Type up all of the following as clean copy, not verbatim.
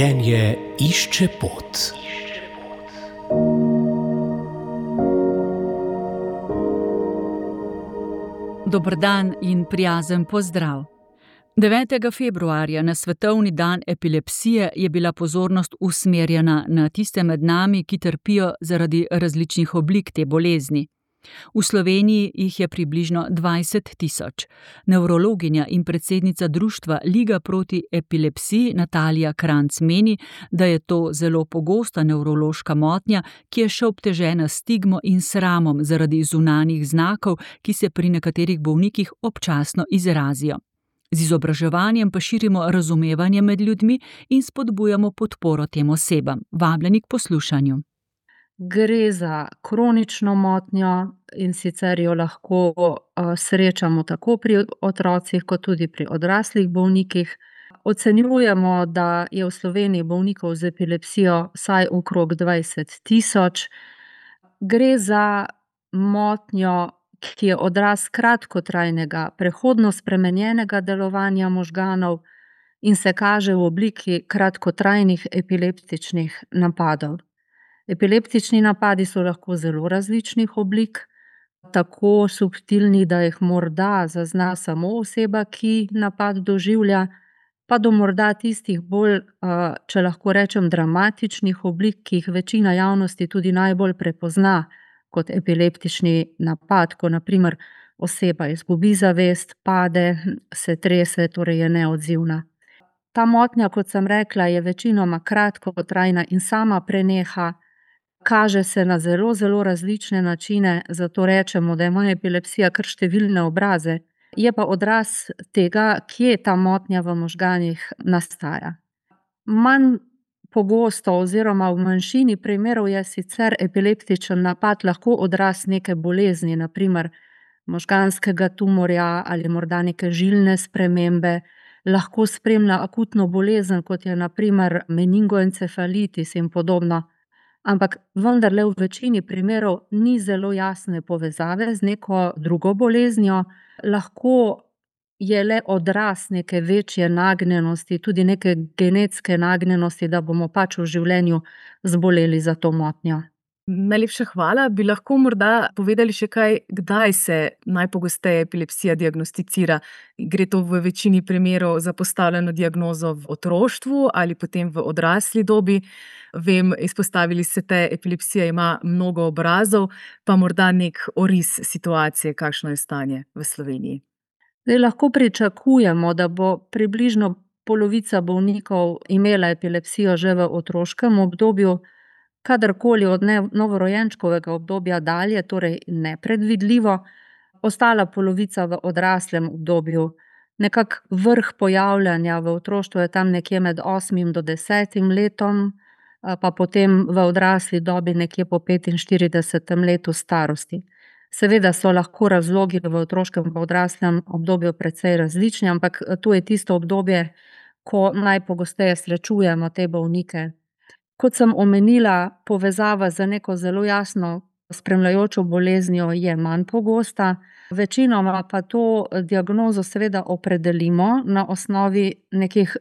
Življenje išče pot. Dober dan in prijazen pozdrav. 9. februarja na svetovni dan epilepsije je bila pozornost usmerjena na tiste med nami, ki trpijo zaradi različnih oblik te bolezni. V Sloveniji jih je približno 20 tisoč. Nevrologinja in predsednica društva Liga proti epilepsiji Natalija Kranjc meni, da je to zelo pogosta nevrološka motnja, ki je še obtežena s stigmo in sramom zaradi zunanjih znakov, ki se pri nekaterih bolnikih občasno izrazijo. Z izobraževanjem pa širimo razumevanje med ljudmi in spodbujamo podporo tem osebam. Vabljeni k poslušanju. Gre za kronično motnjo in sicer jo lahko srečamo tako pri otrocih kot tudi pri odraslih bolnikih. Ocenjujemo, da je v Sloveniji bolnikov z epilepsijo vsaj okrog 20 tisoč. Gre za motnjo, ki je odraz kratkotrajnega, prehodno spremenjenega delovanja možganov in se kaže v obliki kratkotrajnih epileptičnih napadov. Epileptični napadi so lahko zelo različnih oblik, tako subtilni, da jih morda zazna samo oseba, ki napad doživlja, pa do morda tistih bolj, če lahko rečem, dramatičnih oblik, ki jih večina javnosti tudi najbolj prepozna kot epileptični napad, ko na primer oseba izgubi zavest, pade, se trese, torej je neodzivna. Ta motnja, kot sem rekla, je večinoma kratkotrajna in sama preneha. Kaže se na zelo, zelo različne načine, zato rečemo, da ima epilepsija kar številne obraze. Je pa odraz tega, kje ta motnja v možganih nastaja. Manj pogosto oziroma v manjšini primerov je sicer epileptičen napad lahko odraz neke bolezni, na primer možganskega tumorja ali morda neke žilne spremembe. Lahko spremlja akutno bolezen, kot je na primer meningoencefalitis in podobno. Ampak vendarle v večini primerov ni zelo jasne povezave z neko drugo boleznijo, lahko je le odraz neke večje nagnjenosti, tudi neke genetske nagnjenosti, da bomo pač v življenju zboleli za to motnjo. Najlepša hvala. Bi lahko morda povedali še kaj, kdaj se najpogosteje epilepsija diagnosticira? Gre to v večini primerov za postavljeno diagnozo v otroštvu ali potem v odrasli dobi? Vem, izpostavili ste, epilepsija ima mnogo obrazov, pa morda nek oris situacije, kakšno je stanje v Sloveniji. Lahko pričakujemo, da bo približno polovica bolnikov imela epilepsijo že v otroškem obdobju, kadarkoli od novorojenčkovega obdobja dalje, torej nepredvidljivo, ostala polovica v odraslem obdobju. Nekak vrh pojavljanja v otroštvu je tam nekje med 8. do 10. letom, pa potem v odrasli dobi nekje po 45. letu starosti. Seveda so lahko razlogi v otroškem in odraslem obdobju precej različni, ampak to je tisto obdobje, ko najpogosteje srečujemo te bolnike. Kot sem omenila, povezava z neko zelo jasno spremljajočo boleznijo je manj pogosta, večinoma pa to diagnozo seveda opredelimo na osnovi nekih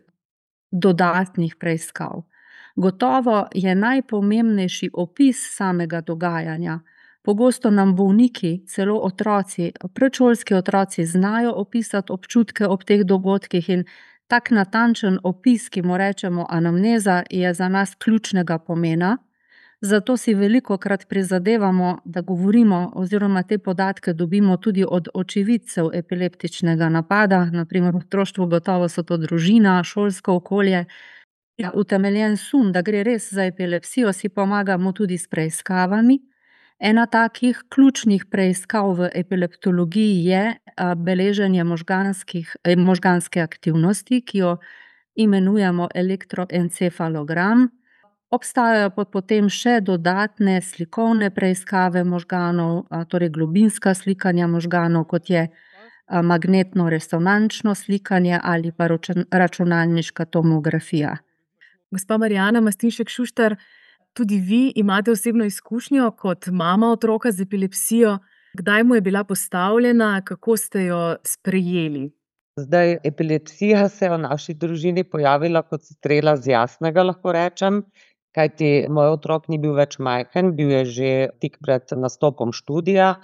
dodatnih preiskav. Gotovo je najpomembnejši opis samega dogajanja. Pogosto nam bolniki, celo otroci, predšolski otroci znajo opisati občutke ob teh dogodkih in tak natančen opis, ki mu rečemo anamneza, je za nas ključnega pomena. Zato si velikokrat prizadevamo, da govorimo oziroma te podatke dobimo tudi od očividcev epileptičnega napada, na primer v otroštvu gotovo so to družina, šolsko okolje. Utemeljen sum, da gre res za epilepsijo, si pomagamo tudi s preiskavami. Ena takih ključnih preiskav v epileptologiji je beleženje možganske aktivnosti, ki jo imenujemo elektroencefalogram. Obstajajo pa potem še dodatne slikovne preiskave možganov, torej globinska slikanja možganov, kot je magnetno-resonančno slikanje ali pa računalniška tomografija. Gospa Marjana Mastinšek Šuštar, tudi vi imate osebno izkušnjo kot mama otroka z epilepsijo. Kdaj mu je bila postavljena, kako ste jo sprejeli? Zdaj, epilepsija se je v naši družini pojavila kot strela z jasnega, lahko rečem, kajti moj otrok ni bil več majhen, bil je že tik pred nastopom študija.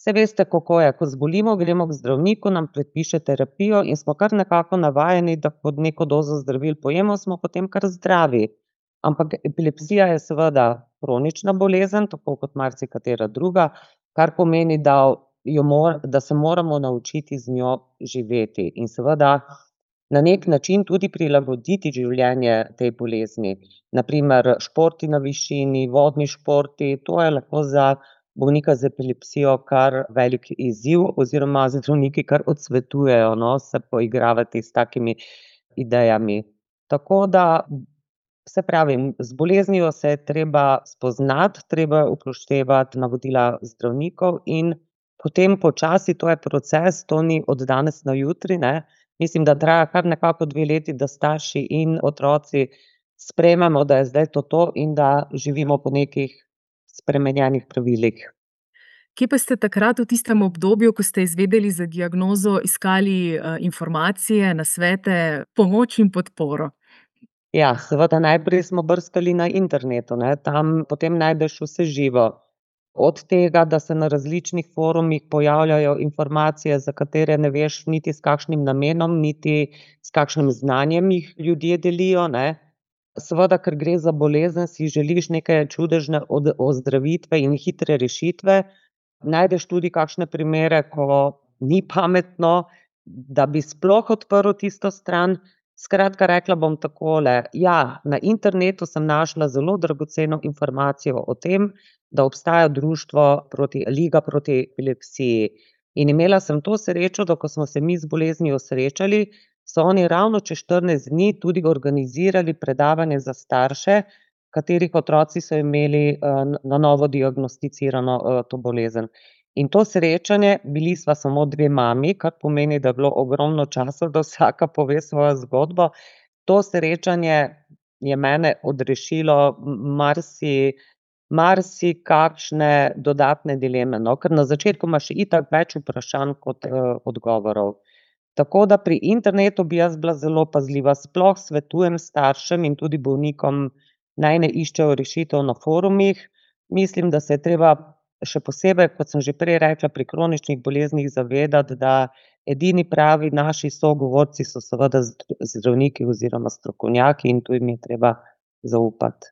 Saj veste, kako je, ko zbolimo, gremo k zdravniku, nam predpiše terapijo in smo kar nekako navajeni, da pod neko dozo zdravil pojemo, smo potem kar zdravi. Ampak epilepsija je seveda kronična bolezen, tako kot marsikatera druga, kar pomeni, da se moramo naučiti z njo živeti in seveda na nek način tudi prilagoditi življenje tej bolezni. Na primer športi na višini, vodni športi, to je lahko za bolnika z epilepsijo kar velik izziv oziroma zdravniki kar odsvetujejo, se poigravati s takimi idejami. Tako da, se pravi, z boleznijo se je treba spoznati, treba je upoštevati navodila zdravnikov in potem počasi, to je proces, to ni od danes na jutri, ne. Mislim, da traja kar nekako 2 leti, da starši in otroci sprejmemo, da je zdaj to in da živimo po nekih spremenjenih pravilih. Kje pa ste takrat v tistem obdobju, ko ste izvedeli za diagnozo, iskali informacije, nasvete, pomoč in podporo? Ja, seveda najprej smo brskali na internetu, ne, tam potem najdeš vse živo. Od tega, da se na različnih forumih pojavljajo informacije, za katere ne veš niti s kakšnim namenom, niti s kakšnim znanjem jih ljudje delijo, ne. Seveda, ker gre za bolezen, si želiš neke čudežne ozdravitve in hitre rešitve. Najdeš tudi kakšne primere, ko ni pametno, da bi sploh odprl tisto stran. Skratka, rekla bom takole, ja, na internetu sem našla zelo dragoceno informacijo o tem, da obstaja društvo Liga proti epilepsiji. In imela sem to srečo, da ko smo se mi z boleznijo srečali, so oni ravno čez 14 dni tudi organizirali predavanje za starše, katerih otroci so imeli na novo diagnosticirano to bolezen. In to srečanje, bili sva samo 2 mami, kar pomeni, da je bilo ogromno časa, da vsaka pove svojo zgodbo. To srečanje je mene odrešilo marsikakšne dodatne dileme, ker na začetku imaš itak več vprašanj kot odgovorov. Tako da pri internetu bi jaz bila zelo pazljiva, sploh svetujem staršem in tudi bolnikom, naj ne iščejo rešitev na forumih. Mislim, da se je treba še posebej, kot sem že prej rekla, pri kroničnih boleznih zavedati, da edini pravi naši sogovorci so seveda zdravniki oziroma strokovnjaki in tu jim je treba zaupati.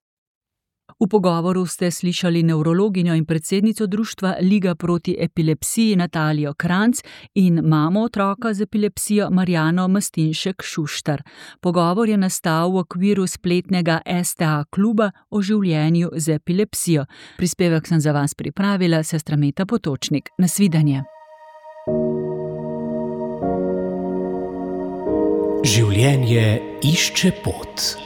V pogovoru ste slišali nevrologinjo in predsednico društva Liga proti epilepsiji Natalijo Kranjc in mamo otroka z epilepsijo Marjano Mastinšek Šuštar. Pogovor je nastal v okviru spletnega STA kluba o življenju z epilepsijo. Prispevek sem za vas pripravila sestra Meta Potočnik. Nasvidenje. Življenje išče pot.